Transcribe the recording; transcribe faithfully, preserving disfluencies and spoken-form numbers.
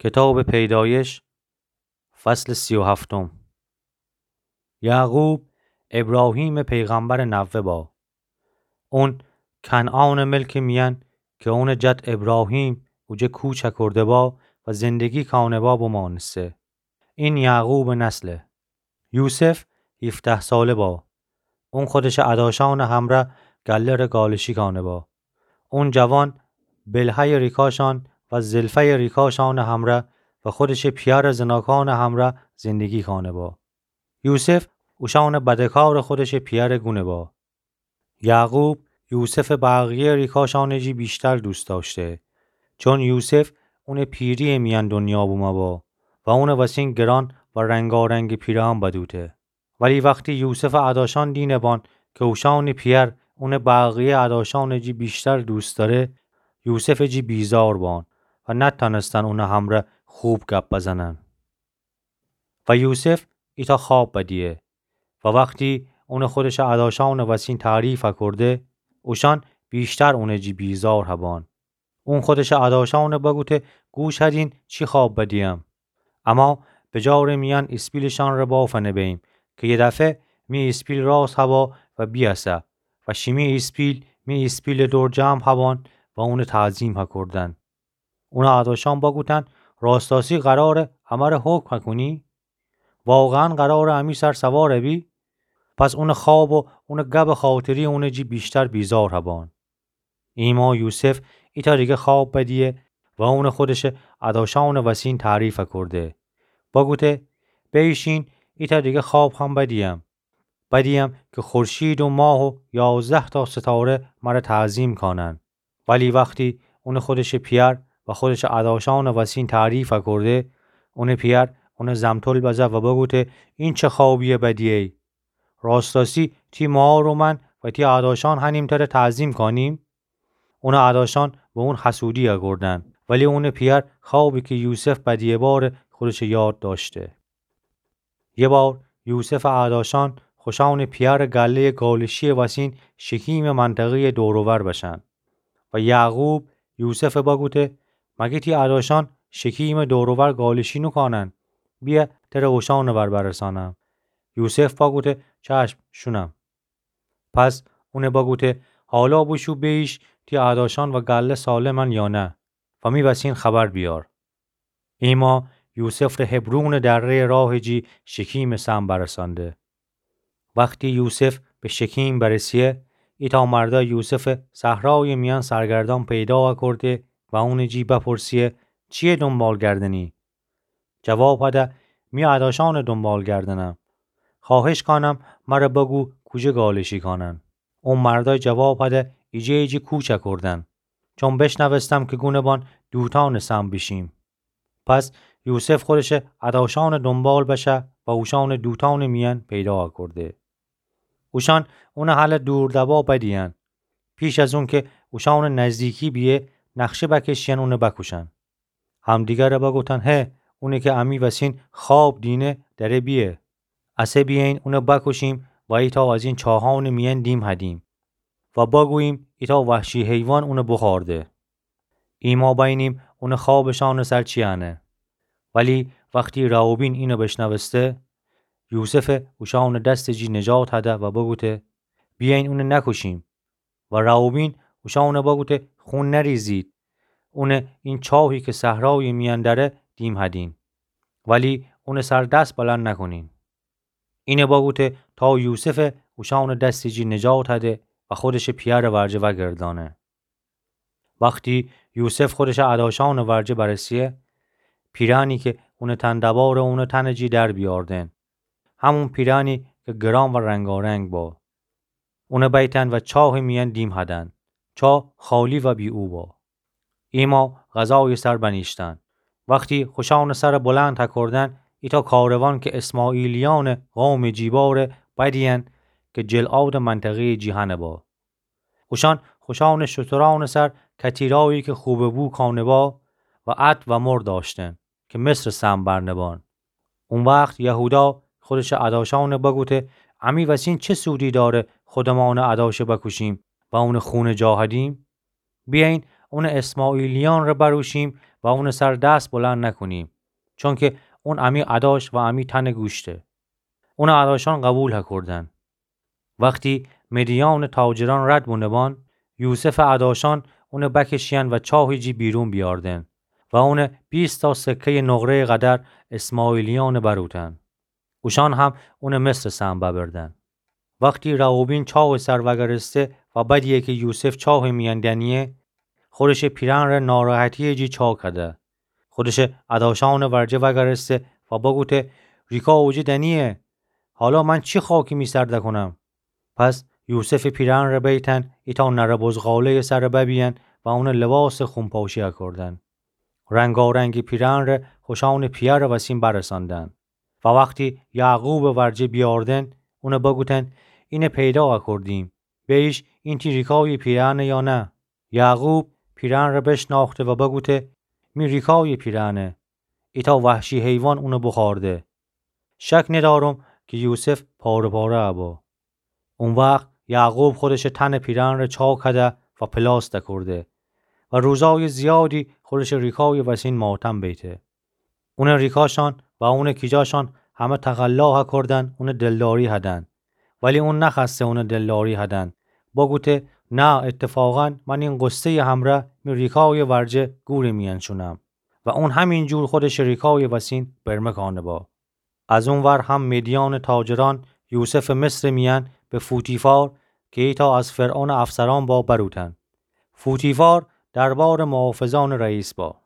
کتابٚ پیدایش، فصلٚ سی و هفتم. یعقوب، ابراهیمٚ پیغمبرٚ نوه با. اون کنعانٚ ملکٚ میأن کی اونٚ جد ابراهیم اوجه کوچ کورده با و زندگی کانه با بمانسته. این یعقوبٚ نسله. یوسف هیفده ساله با. اون خودشٚ اداشأنٚ همرأ گله ره گالشی کانه با. اون جوان بلهه‌یٚ ریکاشأن و زلفه‌یٚ ریکاشأنٚ همرأ و خودشٚ پیأرٚ زناکأنٚ همرأ زندگی کانه با. یوسف اوشأنٚ بده‌کارٚ خودشٚ پیأرٚ گونه با. یعقوب یوسفٚ بقیه ریکاشأنٚ جی ویشتر دوست دأشته، چون یوسف اونٚ پیری‌یٚ میأن دنیا بومه با و اونٚ وسین گران و رنگارنگٚ پیرهن بدوته. ولی وختی یوسفٚ اداشأن دینه بان کی اوشأنٚ پیأر اونٚ بقیه اداشأنٚ جی ویشتر دوست دأره، یوسفٚ جی بیزار بان و نتأنستن اونٚ همرأ خوب گپ بزنن. و یوسف ایتأ خواب بدیه و وختی اونٚ خودشٚ اداشأنٚ وسین تعریف کورده، اوشأن ویشتر اونٚ جی بیزار هبان. اون خودشٚ اداشأن بگوته: گوش هدین چی خواب بدیم. اما بجارٚ میأن ایسپیلشأن ره بافنه بیم کی یه دفعه می ایسپیل راس هوا و بیأسه و شیمی ایسپیل می ایسپیلٚ دور جمع هبان و اونٚ تعظیم هکردن. اونٚ اداشأن بگوتن: راستاسی قراره امره حکم هکونی؟ واقعاً قراره امی سر سوار بی؟ پس اونٚ خواب و اونٚ گبٚ خاطری اونٚ جی ویشتر بیزار هبان. ایما یوسف ایتأ دیگه خواب بدیه و اونٚ خودشٚ اداشأنٚ وسین تعریف کرده. بگوته: بیشین، ایتأ دیگه خواب هم بدیم. بدیم کی خورشید و ماه و یازده‌تا ستاره مره تعظیم کانن. ولی وختی اونٚ خودشٚ پیأر و خودشٚ اداشأنٚ وسین تعریف کرده، اونٚ پیأر اونٚ زمتل بزه و بگوته: این چه خوابیه بدیه‌ای؟ راستاسی تی مار و من و تی اداشأن هنیم تره تعظیم کانیم؟ اونٚ اداشأن به اون حسودی هکردن، ولی اونٚ پیأر خوابی کی یوسف بدیه باره خودشٚ یاد دأشته. یه بار یوسفٚ اداشأن خوشأنٚ پیأرٚ گله‌یٚ گالشی‌یٚ وسین شکیمٚ منطقه‌یٚ دور و ور بشن و یعقوب یوسف بگوته: مگه تی اداشأن شکیمٚ دور و ور گالشی نوکانن؟ بیه تره اوشأنٚ ور برسانم. یوسف بگوته: چشم، شونم. پس اون بگوته: حالا بوشو بیش تی اداشأن و گله سالمن یا نه و می وسین خبر بیار. ایما یوسف ره هبرونٚ دره‌یٚ راهٚ جی شکیمٚ صحن برسانده. وختی یوسف به شکیم برسیه، ایتأ مردا یوسف صحرایٚ میأن سرگردان پیدا کرده و اونٚ جی بپرسیه: چیه دنبال گردنی؟ جواب هده: می اداشأنٚ دنبال گردنم. خواهش کانم مره بگو کوجه گالشی کانن. او مردا جواب هده: ایجه‌یٚ جی کوچ کردن. چون بشنوستم کی گونه بان دوتانٚ صحن بیشیم. پس یوسف خودشٚ اداشأنٚ دنبال بشه و اوشأنٚ دوتانٚ میأن پیدا کرده. اوشأن اونٚ هله دور دبا بدیین. پیش از اونکه اوشأنٚ نزدیکی بیه، نقشه بکشیین اون بکوشن. همدیگر بگوتن: هه، اونی کی امی وسین خواب دینه دره بیه. اسه بیهین اون بکوشیم و ایتأ از این چاهأنٚ میأن دیم هدیم و بگوییم ایتأ وحشی حیوان اون بخورده. ایما بینیم اونٚ خوابٚ شأنٚ سر چی انه. ولی وختی روبین اینو بشنوسته، یوسف اوشأن دستٚ جی نجات هده و بگوته: بیهین اون نکوشیم. و روبین اوشأن بگوته: خون نریزید. اون این چاهی کی صحرایٚ میأن دره دیم هدین. ولی اونٚ سر دس بلند نکونین. اینه بگوته تا یوسف اوشأنٚ دستٚ جی نجات هده و خودشٚ پیأرٚ ورجه وگردانه. وختی یوسف خودشٚ اداشأنٚ ورجه برسیه، پیرأنی کی اونٚ تن دباره اونٚ تنٚ جی در بیاردن. همون پیرأنی کی گران و رنگارنگ با. اون بیتن و چاهٚ میأن دیم هدن. چاه خالی و بی او با. ایما غذایٚ سر بنیشتن. وختی خوشأنٚ سر بلند هکردن، ایتأ کاروان کی اسماعیلیأنٚ قومٚ جی باره بدیین کی جلعادٚ منطقه‌یٚ جی هنه با. اوشأن خوشأنٚ شترأنٚ سر کتیرایی کی خوبٚ بو کانه با و عطر و مر داشتن کی مصرٚ سم برنه بان. او وخت یهودا خودشٚ اداشأن بگوته: امی وسین چه سودی داره خودمأنٚ اداشٚ بکوشیم و اونٚ خونٚ جا هدیم؟ بیأیین اونٚ اسماعیلیأنٚ ره بروشیم و اونٚ سر دس بلند نکونیم، چونکه اون امی اداش و امی تنٚ گوشته. اونٚ اداشأن قوبیل هکردن. وختی مدیانٚ تاجرأن رد بونه‌بان، یوسفٚ اداشأن اونٚ بکشیأن و چاهٚ جی بیرون بیأردن و اونٚ بیست تا سکه‌یٚ نقره‌یٚ قدر اسماعیلیأنٚ بروتن. اوشأن هم اونٚ مصرٚ سهم ببردن. وختی رئوبین چاهٚ سر وأگرسته و بدیه کی یوسف چاهٚ میأن دنیه، خودشٚ پیرهن ره ناراحتی‌یٚ جی چاکده. خودشٚ اداشأنٚ ورجه وأگرسته و بگوته: ریکا اوجه دنیه، حالا من چی خاکی می سر دکونم؟ پس یوسفٚ پیرهن ره بیتن ایتأ نره بزغاله‌یٚ سر ببیین و اونٚ لباسٚ خونپاشی اکردن. رنگارنگٚ پیرهن ره خوشأنٚ پیهرٚ وسین برساندن. و وختی یعقوبٚ ورجه بیأردن، اون بگوتن: اینه پیدا اکردیم. بیش اینتی ریکایٚ پیرهنه یا نه؟ یعقوب پیرهن ره بشناخته و بگوته: می ریکایٚ پیرهنه. ایتأ وحشی حیوان اون بخورده. شک ندأرم کی یوسف پاره پاره ابو. او وخت یعقوب خودشٚ تنٚ پیرهن ره چاکده و پلاس دکرده و روزایٚ زیادی خودشٚ ریکایٚ وسین ماتم بیته. اونٚ ریکاشأن و اونٚ کیجاشأن همه تقلا هکردن اونٚ دلداری هدن. ولی اون نخوأسته اونٚ دلداری هدن. بگوته: نه، اتفاقاً من این غصه‌یٚ همرأ می ریکایٚ ورجه گورٚ میأن شونم. و اون همین جور خودشٚ ریکایٚ وسین برمه کانه با. از او ور هم مدیانٚ تاجرأن یوسفٚ مصرٚ میأن به فوتیفار کی ایتأ از فرعونٚ افسرأن با بروتن. فوتیفار دربارٚ محافظأنٚ رئیس با.